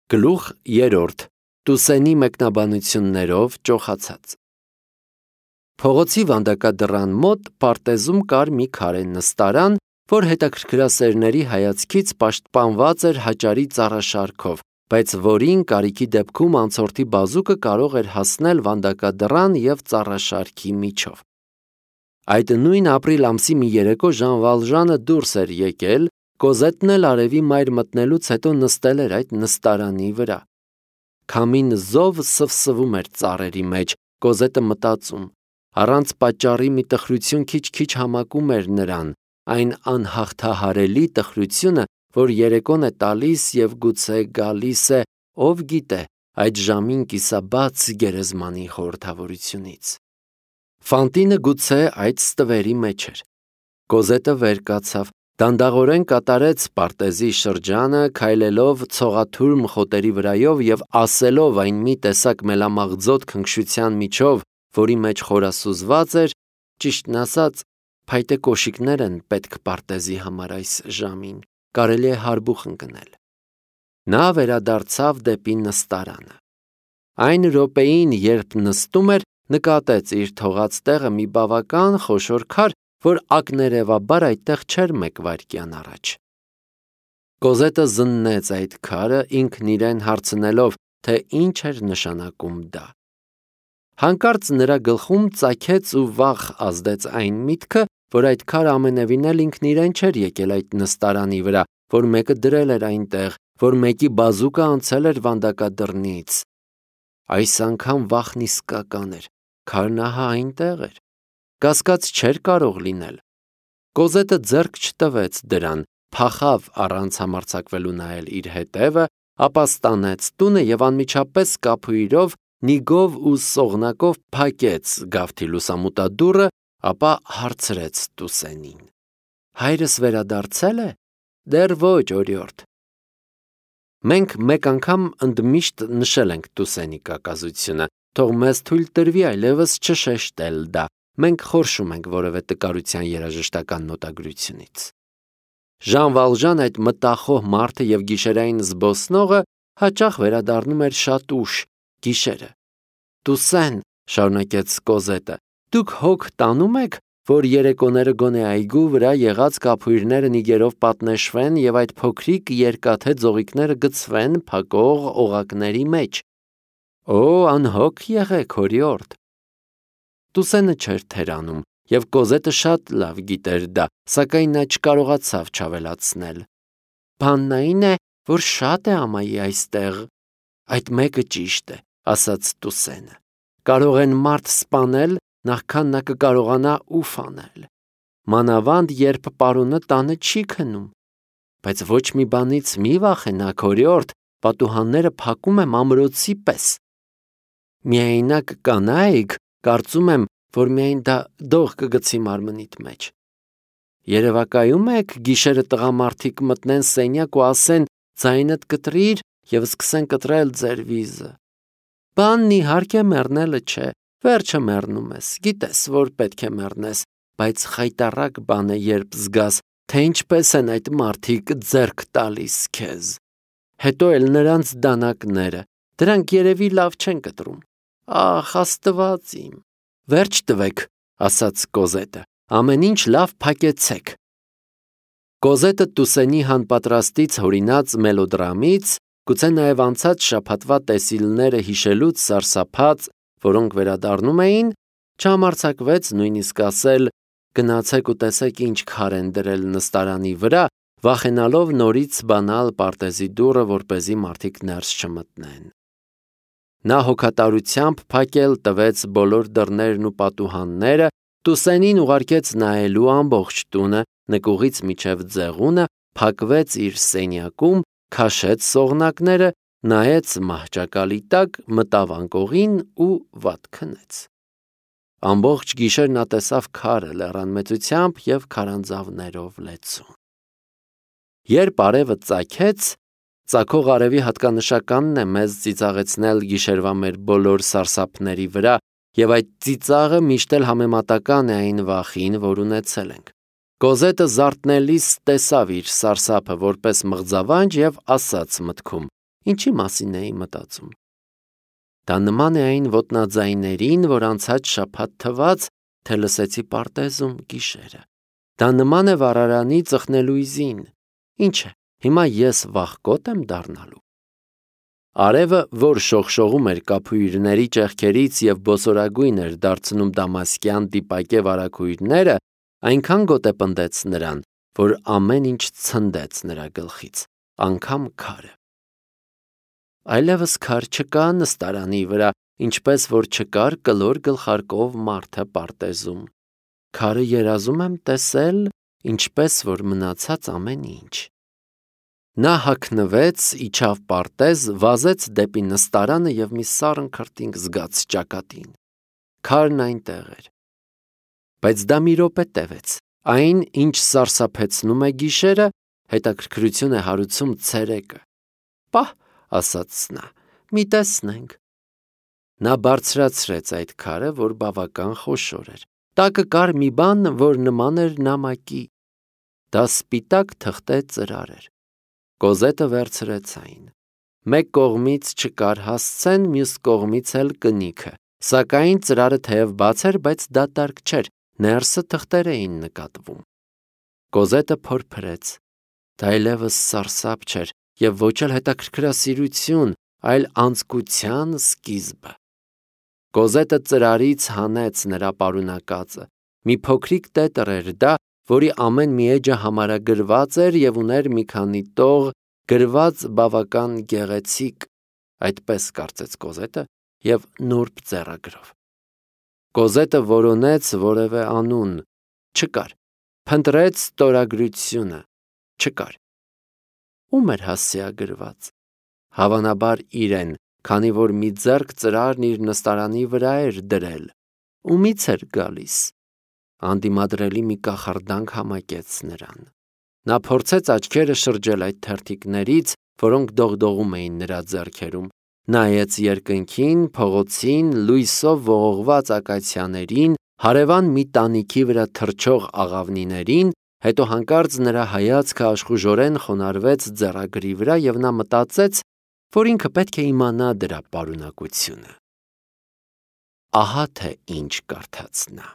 Գլուխ 3. Տուսենի մեկնաբանություններով ճոխացած։ Փողոցի վանդակադռան մոտ պարտեզում կար մի քարե նստարան, որ հետաքրքրասերների հայացքից պաշտպանված էր հաճարի ծառաշարքով, բայց որին կարիքի դեպքում անցորդի բազուկը կարող էր հասնել վանդակադռան և ծառաշարքի միջով։ Այդ նույն ապրիլ ամսի մի երեկո Ժան Վալժանը դուրս էր եկել, Կոզետն էլ արևի մայր մտնելուց հետո նստել էր այդ նստարանի վրա։ Քամին զով սվսվում էր ծառերի մեջ, Կոզետը մտածում։ Առանց պատճառի մի տխրություն քիչ-քիչ համակում էր նրան, այն անհաղթահարելի տխրությունը, որ երեկոն է տալիս և գուցե գալիս է, ով գիտե, այդ ժամին կիսաբաց գերեզմանի խորհրդավորությունից։ Ֆանտինը գուցե այդ ստվերի մեջ էր։ Կոզետը վեր կացավ, դանդաղորեն կատարեց պարտեզի շրջանը, քայլելով ցողաթուրմ խոտերի վրայով և ասելով այն մի տեսակ մելամաղձոտ քնքշության միջով, որի մեջ խորասուզված էր, ճիշտն ասած, փայտե կոշիկներ են պետք պարտեզի համար այս ժամին, կարելի է հարբուխ ընկնել։ Նա վերադարձավ դեպի նստարանը։ Այն րոպեին, երբ նստում էր, նկատեց իր թողած տեղը մի բավական խոշոր քար, որ ակներևաբար այդտեղ չէր մեկ վայրկյան առաջ։ Կոզետը զննեց այդ քարը, ինքն իրեն հարցնելով, թե ինչ էր նշանակում դա։ Հանկարծ նրա գլխում ծագեց ու վախ ազդեց այն միտքը, որ այդ քարը ամենևին էլ ինքն իրեն չէր եկել այդ նստարանի վրա, որ մեկը դրել էր այնտեղ, որ մեկի բազուկը անցել էր վանդակադռնից։ Այս անգամ վախն իսկական էր, քարն ահա այնտեղ էր։ Կասկած չէր կարող լինել։ Կոզետը ձեռք չտվեց դրան, փախավ առանց համարձակվելու նայել իր հետևը, ապա ստանեց տունը և անմիջապես կափույրով, նիգով ու սողնակով փակեց գավթի լուսամուտադուռը, ապա հարցրեց Տուսենին. Հայրս վերադարձել է։ Դեռ ոչ, օրիորդ։ Մենք մեկ անգամ ընդմիշտ նշել ենք Տուսենի կակազությունը, թող մեզ թույլ տրվի այլևս չշեշտել դա։ Մենք խորշում ենք որևէ տկարության երաժշտական նոտագրությունից։ Ժան Վալժան, այդ մտախոհ մարդը և գիշերային զբոսնողը, հաճախ վերադառնում էր շատ ուշ, գիշերը։ Տուսեն, շարունակեց Կոզետը, դուք հոգ տանում եք, որ երեկոները գոնե այգու վրա եղած կափույրները նիգերով պատնեշվեն և այդ փոքրիկ երկաթե ձողիկները գցվեն փակող օղակների մեջ։ Օ, անհոգ եղեք, օրիորդ։ Տուսենը չէր թերանում, և Կոզետը շատ լավ գիտեր դա, սակայն նա չկարողացավ չավելացնել։ Բանն այն է, որ շատ է ամայի այստեղ։ Այդ մեկը ճիշտ է, ասաց Տուսենը։ Կարող են մարդ սպանել, նախքան նա կկարողանա ուֆ անել։ Մանավանդ, երբ պարոնը տանը չի քնում։ Բայց ոչ մի բանից մի վախենաք, օրիորդ, պատուհանները փակում եմ ամրոցի պես։ Միայնակ կանայք, կարծում եմ, որ միայն դա դող կգցի մարմնիդ մեջ։ Երևակայում եք, գիշերը տղամարդիկ մտնեն սենյակ ու ասեն ձայնդ կտրիր և սկսեն կտրել ձեր վիզը։ Բանն իհարկե մեռնելը չէ, վերջը մեռնում ես, գիտես, որ պետք է մեռնես, բայց խայտառակ բան է, երբ զգաս, թե ինչպես են այդ մարդիկ ձեռք տալիս քեզ։ Հետո էլ նրանց դանակները, դրանք երևի լավ չեն կտրում։ Ախ, Աստված իմ։ Վերջ տվեք, ասաց Կոզետը, ամեն ինչ լավ փակեցեք։ Կոզետը Տուսենի հանպատրաստից հորինած մելոդրամից, գուցե նաև անցած շաբաթվա տեսիլները հիշելուց սարսափած, որոնք վերադառնում էին, չհամարձակվեց նույնիսկ ասել. գնացեք ու տեսեք ինչ քար են դրել նստարանի վրա, վախենալով նորից բանալ պարտեզի դուռը, որպեսզի մարդիկ ներս չմտնեն։ Նա հոգատարությամբ փակել տվեց բոլոր դռներն ու պատուհանները, Տուսենին ուղարկեց նայելու ամբողջ տունը, նկուղից մինչև ձեղունը, փակվեց իր սենյակում, քաշեց սողնակները, նայեց մահճակալի տակ, մտավ անկողին ու վատ քնեց։ Ամբողջ գիշեր նա տեսավ քարը լեռանմեծությամբ և քարանձավներով լեցուն։ Երբ արևը ծագեց, ծագող արևի հատկանշականն է մեզ ծիծաղեցնել գիշերվա մեր բոլոր սարսափների վրա, և այդ ծիծաղը միշտ էլ համեմատական է այն վախին, որ ունեցել ենք։ Կոզետը զարթնելիս տեսավ իր սարսափը որպես մղձավանջ և ասաց մտքում. Ինչի մասին էի մտածում։ Դա նման է այն ոտնաձայներին, որ անցած շաբաթ թվաց, թե լսեցի պարտեզում գիշերը։ Դա նման է վառարանի ծխնելույզին։ Ինչ է, հիմա ես վախկոտ եմ դառնալու։ Արևը, որ շողշողում էր կափույրների ճեղքերից և բոսորագույն էր դարձնում դամասկյան դիպակե վարագույրները, այնքան գոտեպնդեց նրան, որ ամեն ինչ ցնդեց նրա գլխից, անգամ քարը։ Այլևս քար չկա նստարանի վրա, ինչպես որ չկար կլոր գլխարկով մարդը պարտեզում։ Քարը երազում եմ տեսել, ինչպես որ մնացած ամեն ինչ։ Նա հագնվեց, իջավ պարտեզ, վազեց դեպի նստարանը և մի սառն քրտինք զգաց ճակատին։ Քարն այնտեղ էր։ Բայց դա մի րոպե տևեց։ Այն, ինչ սարսափեցնում է գիշերը, հետաքրքրություն է հարուցում ցերեկը։ Պահ, ասաց նա, մի տեսնենք։ Նա բարձրացրեց այդ քարը, որ բավական խոշոր էր։ Տակը կար մի բան, որ նման էր նամակի։ Դա սպիտակ թղթե ծրար էր։ Կոզետը վերցրեց այն։ Մեկ կողմից չկար հասցեն, մյուս կողմից էլ կնիքը։ Սակայն ծրարը թեև բաց էր, բայց դատարկ չէր, ներսը թղթեր էին նկատվում։ Կոզետը փորփրեց։ Դա այլևս սարսափ չէր և ոչ էլ հետաքրքրասիրություն, այլ անձկության սկիզբը։ Կոզետը ծրարից հանեց նրա պարունակածը։ Մի փոքրիկ տետր էր դա, որի ամեն մի էջը համարագրված էր և ուներ մի քանի տող, գրված բավական գեղեցիկ, այդպես կարծեց Կոզետը, և նուրբ ձեռագրով։ Կոզետը որոնեց որևէ անուն, չկար, փնտրեց ստորագրությունը, չկար։ Ում էր հասցեագրված։ Հավանաբար իրեն, քանի որ մի ձեռք ծրարն իր նստարանի վրա էր դրել։ Ումից էր գալիս։ Անդիմադրելի մի կախարդանք համակեց նրան։ Նա փորձեց աչքերը շրջել այդ թերթիկներից, որոնք դողդողում էին նրա ձեռքերում, նայեց երկնքին, փողոցին, լույսով ողողված ակացիաներին, հարևան մի տանիքի վրա թռչող աղավնիներին, հետո հանկարծ նրա հայացքը աշխուժորեն խոնարհվեց ձեռագրի վրա և նա մտածեց, որ ինքը պետք է իմանա դրա պարունակությունը։ Ահա թե ինչ կարդաց նա։